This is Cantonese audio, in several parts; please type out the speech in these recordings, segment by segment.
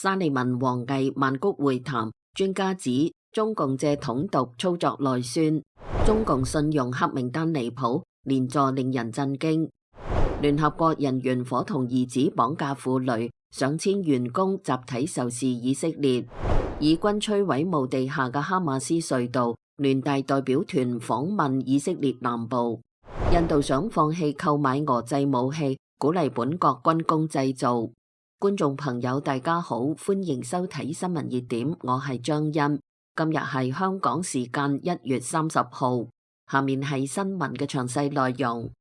沙利文王毅曼谷會談，專家指中共借統獨操作內宣，中共信用黑名單離譜，連坐令人震驚。聯合國人員夥同兒子綁架婦女，上千員工集體仇視以色列。以軍摧毀墓地下嘅哈馬斯隧道，聯大代表團訪問以色列南部。印度想放棄購買俄製武器，鼓勵本國軍工製造。觀眾朋友大家好，歡迎收睇新聞熱點，我係張欣。今日係香港時間1月30號，下面係新聞嘅詳細內容。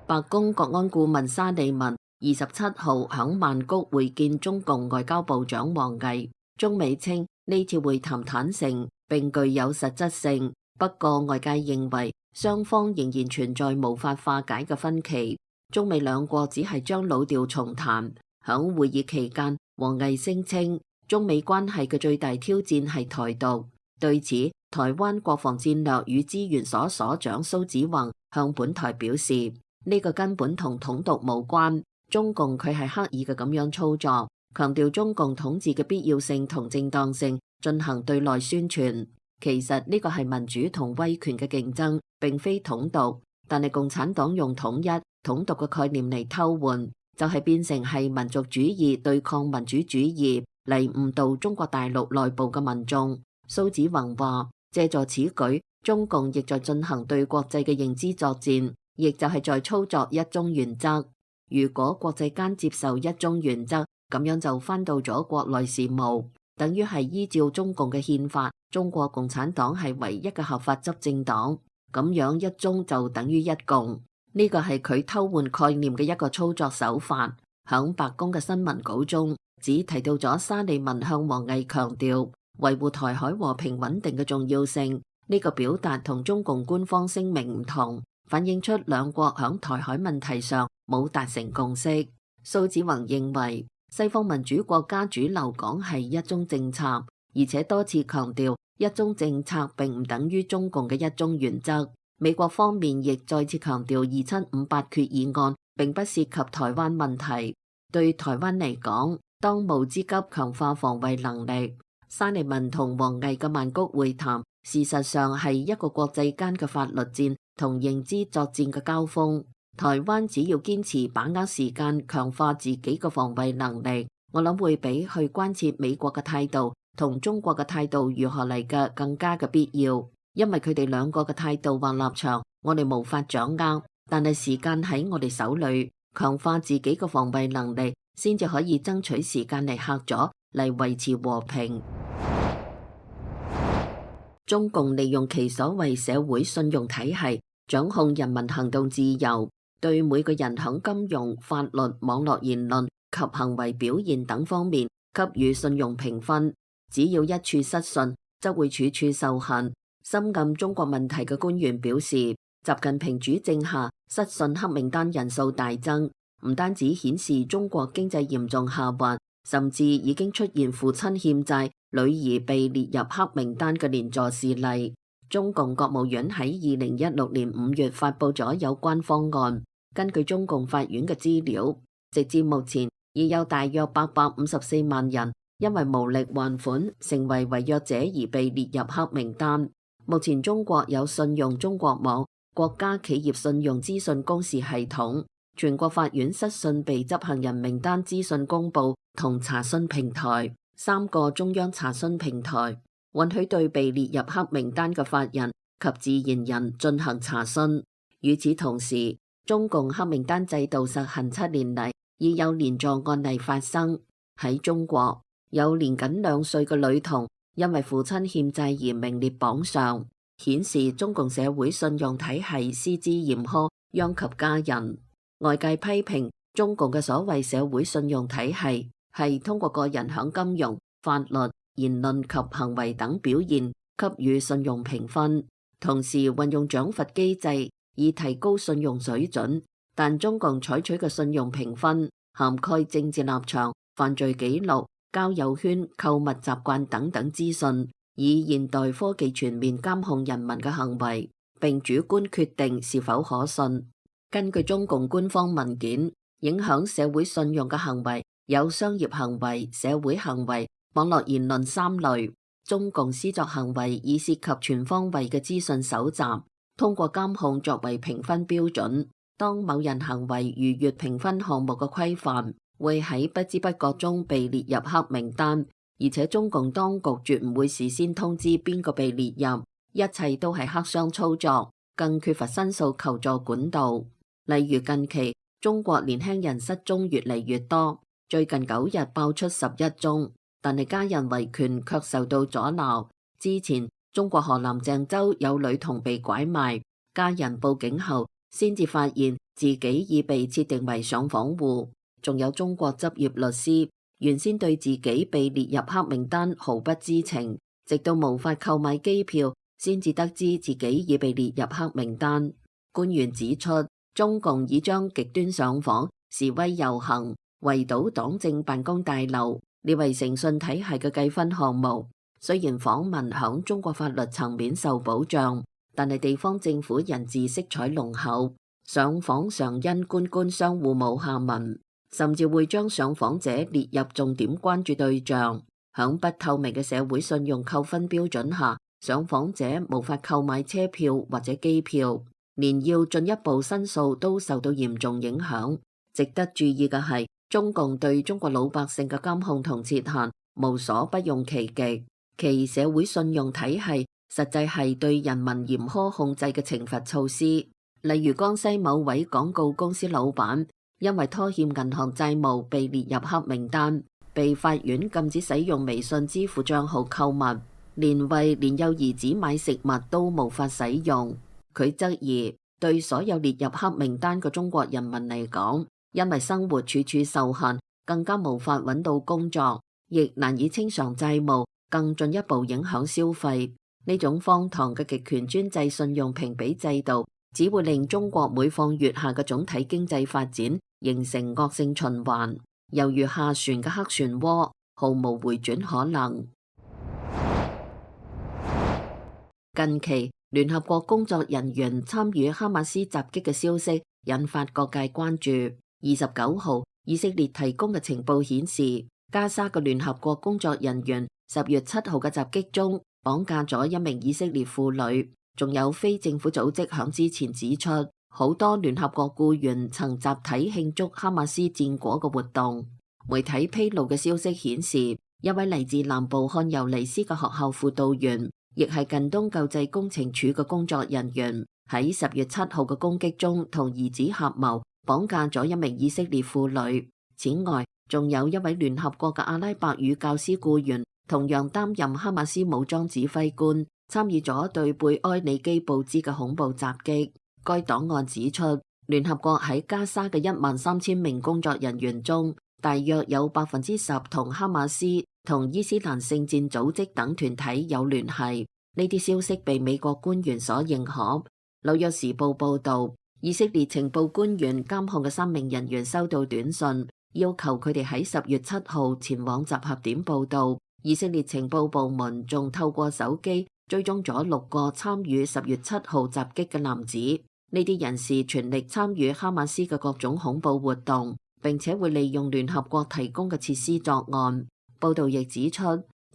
白宮國安顧問沙利文27號響曼谷會見中共外交部長王毅，中美稱呢次會談坦誠並具有實質性，不過外界認為雙方仍然存在無法化解嘅分歧。中美兩國只係將老調重彈。響會議期間，王毅聲稱中美關係嘅最大挑戰係台獨。對此，台灣國防戰略與資源所所長蘇紫宏向本台表示，呢個根本同統獨無關，中共佢係刻意嘅咁樣操作，強調中共統治嘅必要性同正當性，進行對內宣傳。其實呢個係民主同威權嘅競爭，並非統獨。但係共產黨用統一、統獨嘅概念嚟偷換，就係變成係民族主義對抗民主主義，嚟誤導中國大陸內部嘅民眾。蘇紫宏話，借助此舉，中共亦在進行對國際嘅認知作戰，亦就係在操作一中原則。如果國際間接受一中原則，咁樣就翻到咗國內事務，等於係依照中共嘅憲法，中國共產黨係唯一嘅合法執政黨，咁樣一中就等於一共。呢個係佢偷換概念嘅一個操作手法。響白宮嘅新聞稿中，只提到咗沙利文向王毅強調維護台海和平穩定嘅重要性。呢個表達同中共官方聲明唔同，反映出兩國響台海問題上冇達成共識。蘇紫宏認為西方民主國家主流講係一中政策，而且多次強調一中政策並唔等於中共嘅一中原則。美國方面亦再次強調2758決議案並不涉及台灣問題。對台灣嚟講，當務之急強化防衛能力。沙利文同王毅嘅曼谷會談，事實上係一個國際間嘅法律戰同認知作戰嘅交鋒。台灣只要堅持把握時間，強化自己嘅防衛能力，我諗會比去關切美國嘅態度同中國嘅態度如何嚟嘅更加嘅必要。因為佢哋兩個嘅態度或立場，我哋無法掌握，但係時間喺我哋手裏，強化自己嘅防衛能力，先至可以爭取時間嚟嚇阻，嚟維持和平。中共利用其所謂社會信用體系，掌控人民行動自由，對每個人喺金融、法律、網絡言論及行為表現等方面給予信用評分，只要一處失信，則會處處受限。深諳中國問題嘅官員表示，習近平主政下失信黑名單人數大增，唔單止顯示中國經濟嚴重下滑，甚至已經出現父親欠債、女兒被列入黑名單嘅連坐事例。中共國務院喺2016年5月發布咗有關方案，根據中共法院嘅資料，直至目前已有大約854萬人因為無力還款，成為違約者而被列入黑名單。目前中國有信用中國網、國家企業信用資訊公示系統、全國法院失信被執行人名單資訊公佈同查詢平台3個中央查詢平台，允許對被列入黑名單嘅法人及自然人進行查詢。與此同時，中共黑名單制度實行7年嚟，已有連坐案例發生。喺中國，有年僅2歲嘅女童因為父親欠債而名列榜上，顯示中共社會信用體系施之嚴苛，殃及家人。外界批評中共嘅所謂社會信用體系係通過個人響金融、法律、言論及行為等表現給予信用評分，同時運用獎罰機制以提高信用水準。但中共採取嘅信用評分涵蓋政治立場、犯罪記錄、交友圈、購物習慣等等資訊，以現代科技全面監控人民嘅行為，並主觀決定是否可信。根據中共官方文件，影響社會信用嘅行為有商業行為、社會行為、網絡言論三類。中共施作行為以涉及全方位嘅資訊搜集，通過監控作為評分標準。當某人行為逾越評分項目嘅規範，會喺不知不覺中被列入黑名單。而且中共當局絕唔會事先通知邊個被列入，一切都係黑箱操作，更缺乏申訴求助管道。例如近期中國年輕人失蹤越嚟越多，最近9日爆出11宗，但係家人維權卻受到阻撓。之前中國河南鄭州有女童被拐賣，家人報警後先至發現自己已被設定為上訪戶。仲有中國執業律師原先對自己被列入黑名單毫不知情，直到無法購買機票先至得知自己已被列入黑名單。官員指出，中共已將極端上訪、示威遊行、圍堵黨政辦公大樓列為誠信體系嘅計分項目。雖然訪問響中國法律層面受保障，但係地方政府人治色彩濃厚，上訪常因官官相護冇下文，甚至會將上訪者列入重點關注對象。響不透明嘅社會信用扣分標準下，上訪者無法購買車票或者機票，連要進一步申訴都受到嚴重影響。值得注意嘅係，中共對中國老百姓嘅監控同設限無所不用其極，其社會信用體系實際係對人民嚴苛控制嘅懲罰措施。例如江西某位廣告公司老闆因為拖欠銀行債務被列入黑名單，被法院禁止使用微信支付賬號購物，連為年幼兒子買食物都無法使用。佢質疑，對所有列入黑名單嘅中國人民嚟講，因為生活處處受限，更加無法揾到工作，亦難以清償債務，更進一步影響消費。呢種荒唐嘅極權專制信用評比制度，只會令中國每況愈下嘅總體經濟發展形成惡性循環，猶如下旋嘅黑漩渦，毫無回轉可能。近期聯合國工作人員參與哈馬斯襲擊嘅消息引發各界關注。29號，以色列提供嘅情報顯示，加沙嘅聯合國工作人員10月7號嘅襲擊中綁架咗一名以色列婦女。仲有非政府組織響之前指出，好多聯合國僱員曾集體慶祝哈馬斯戰果嘅活動。媒體披露嘅消息顯示，一位嚟自南部漢尤尼斯嘅學校輔導員，亦係近東救濟工程處嘅工作人員，喺10月7號嘅攻擊中同兒子合謀綁架咗一名以色列婦女。此外，仲有一位聯合國嘅阿拉伯語教師僱員，同樣擔任哈馬斯武裝指揮官，參與咗對貝埃里基布茲嘅恐怖襲擊。該檔案指出，聯合國喺加沙嘅13000名工作人員中，大約有10%同哈馬斯同伊斯蘭聖戰組織等團體有聯繫。呢啲消息被美國官員所認可。紐約時報報道，以色列情報官員監控嘅3名人員收到短信，要求佢哋喺10月7號前往集合點報到。以色列情報部門仲透過手機追蹤咗6個參與10月7號襲擊嘅男子。呢啲人士全力參與哈馬斯嘅各種恐怖活動，並且會利用聯合國提供嘅設施作案。報道亦指出，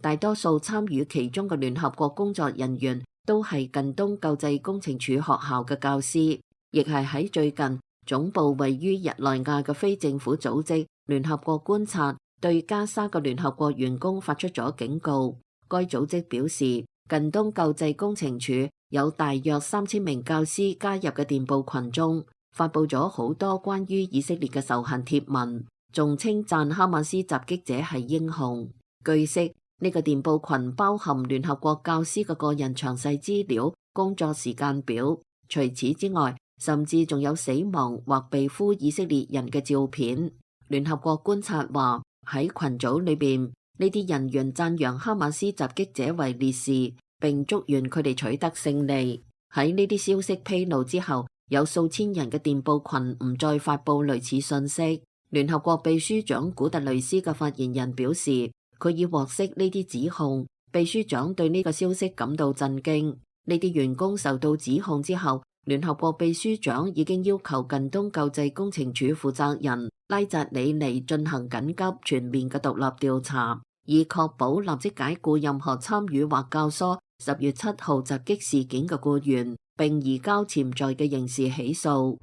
大多數參與其中嘅聯合國工作人員都係近東救濟工程處學校嘅教師，亦係喺最近總部位於日內瓦嘅非政府組織聯合國觀察對加沙嘅聯合國員工發出咗警告。該組織表示，近東救濟工程處有大約3000名教師加入嘅電報群中，發佈咗好多關於以色列嘅仇恨貼文，仲稱讚哈馬斯襲擊者係英雄。據悉，呢個電報群包含聯合國教師嘅個人詳細資料、工作時間表。除此之外，甚至仲有死亡或被俘以色列人嘅照片。聯合國觀察話，喺群組裏邊，呢啲人員讚揚哈馬斯襲擊者為烈士，並祝願佢哋取得勝利。喺呢啲消息披露之後，有數千人嘅電報群唔再發佈類似信息。聯合國秘書長古特雷斯嘅發言人表示，佢已獲悉呢啲指控。秘書長對呢個消息感到震驚。呢啲員工受到指控之後，聯合國秘書長已經要求近東救濟工程處負責人拉扎里尼進行緊急全面嘅獨立調查，以確保立即解僱任何參與或教唆10月7號襲擊事件嘅僱員，並移交潛在嘅刑事起訴。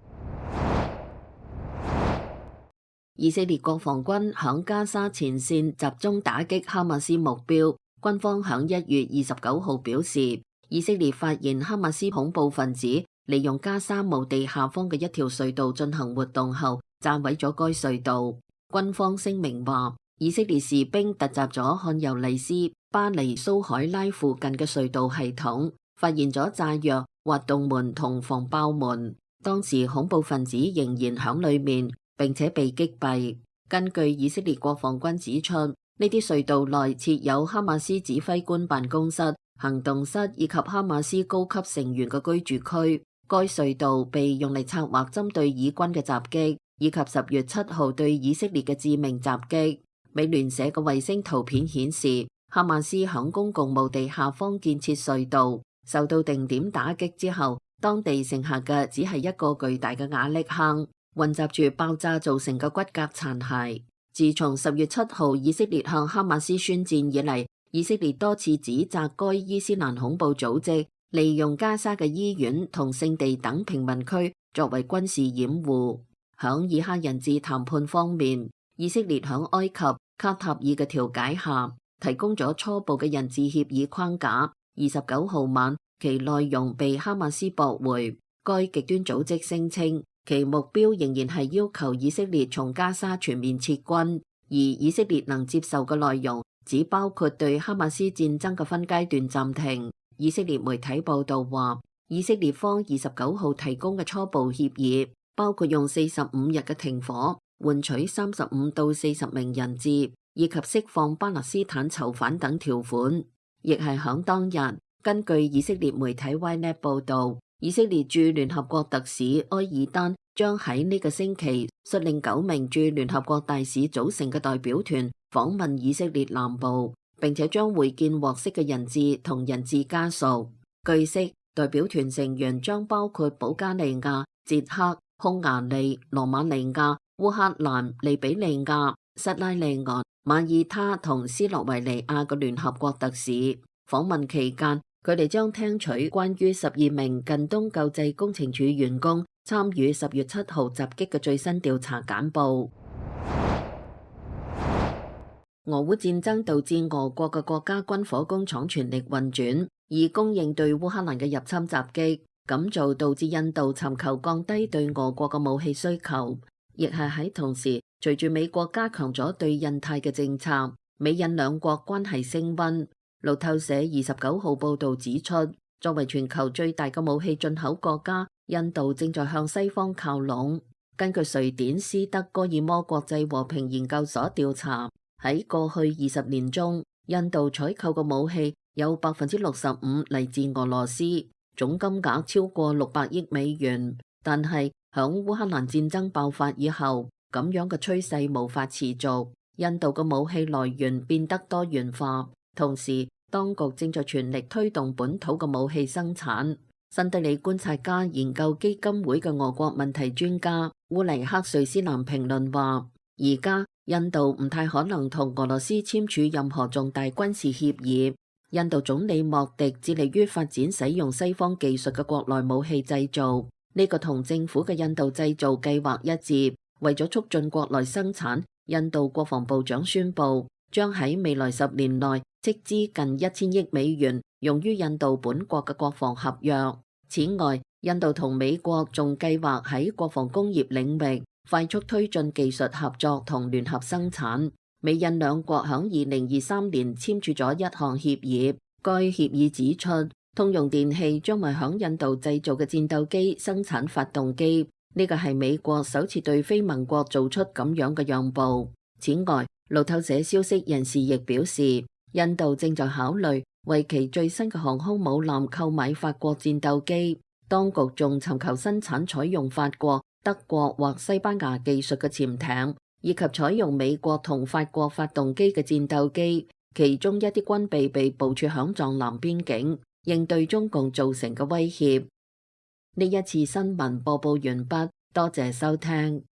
以色列國防軍響加沙前線集中打擊哈馬斯目標。軍方響1月29號表示，以色列發現哈馬斯恐怖分子利用加沙墓地下方嘅一條隧道進行活動後，炸毀咗該隧道。軍方聲明話，以色列士兵突襲咗漢尤尼斯巴尼蘇海拉附近嘅隧道系統，發現咗炸藥、滑動門同防爆門。當時恐怖分子仍然響裏面，並且被擊斃。根據以色列國防軍指出，呢啲隧道內設有哈馬斯指揮官辦公室、行動室以及哈馬斯高級成員嘅居住區。該隧道被用嚟策劃針對以軍嘅襲擊，以及10月7號對以色列嘅致命襲擊。美聯社嘅衛星圖片顯示，哈馬斯響公共墓地下方建設隧道，受到定點打擊之後，當地剩下嘅只係一個巨大嘅瓦礫坑，混雜住爆炸造成嘅骨骼殘骸。自從10月7號以色列向哈馬斯宣戰以嚟，以色列多次指責該伊斯蘭恐怖組織利用加沙嘅醫院同聖地等平民區作為軍事掩護。響以哈人質談判方面，以色列響埃及卡塔爾嘅調解下，提供咗初步嘅人質協議框架。29號晚，其內容被哈馬斯駁回。該極端組織聲稱，其目標仍然係要求以色列從加沙全面撤軍，而以色列能接受嘅內容只包括對哈馬斯戰爭嘅分階段暫停。以色列媒體報道話，以色列方29號提供嘅初步協議包括用45日嘅停火換取35到40名人質，以及釋放巴勒斯坦囚犯等條款。亦係響當日，根據以色列媒體 Ynet 報道，以色列駐聯合國特使埃爾丹將喺呢個星期率領9名駐聯合國大使組成嘅代表團訪問以色列南部，並且將會見獲釋嘅人質同人質家屬。據悉，代表團成員將包括保加利亞、捷克、匈牙利、羅馬尼亞、烏克蘭、利比里亞、塞拉利昂、馬耳他同斯洛維尼亞嘅聯合國特使。訪問期間，佢哋將聽取關於12名近東救濟工程處員工參與10月7號襲擊嘅最新調查簡報。俄烏戰爭導致俄國嘅國家軍火工廠全力運轉，以供應對烏克蘭嘅入侵襲擊。咁做導致印度尋求降低對俄國嘅武器需求，亦係喺同時，隨住美國加強咗對印太嘅政策，美印兩國關係升溫。路透社29號報導指出，作為全球最大嘅武器進口國家，印度正在向西方靠攏。根據瑞典斯德哥爾摩國際和平研究所調查，喺過去20年中，印度採購嘅武器有65%嚟自俄羅斯，總金額超過600億美元。但係響烏克蘭戰爭爆發以後，咁樣嘅趨勢無法持續，印度嘅武器來源變得多元化。同時，當局正在全力推動本土嘅武器生產。新德里觀察家研究基金會嘅俄國問題專家烏尼克瑞斯南評論話，而家印度唔太可能同俄羅斯簽署任何重大軍事協議。印度總理莫迪致力於發展使用西方技術嘅國內武器製造，呢個同政府嘅印度製造計劃一致。為咗促進國內生產，印度國防部長宣布將喺未來10年內斥資近1000億美元用於印度本國嘅國防合約。此外，印度同美國仲計劃喺國防工業領域快速推進技術合作同聯合生產。美印兩國響2023年簽署咗一項協議，該協議指出，通用電氣將為響印度製造嘅戰鬥機生產發動機。呢個係美國首次對非盟國做出咁樣嘅讓步。此外，路透社消息人士亦表示，印度正在考慮為其最新嘅航空母艦購買法國戰鬥機。當局仲尋求生產採用法國、德國或西班牙技術嘅潛艇，以及採用美國同法國發動機嘅戰鬥機。其中一啲軍備被部署響藏南邊境，應對中共造成嘅威脅。呢一次新聞播報完畢，多謝收聽。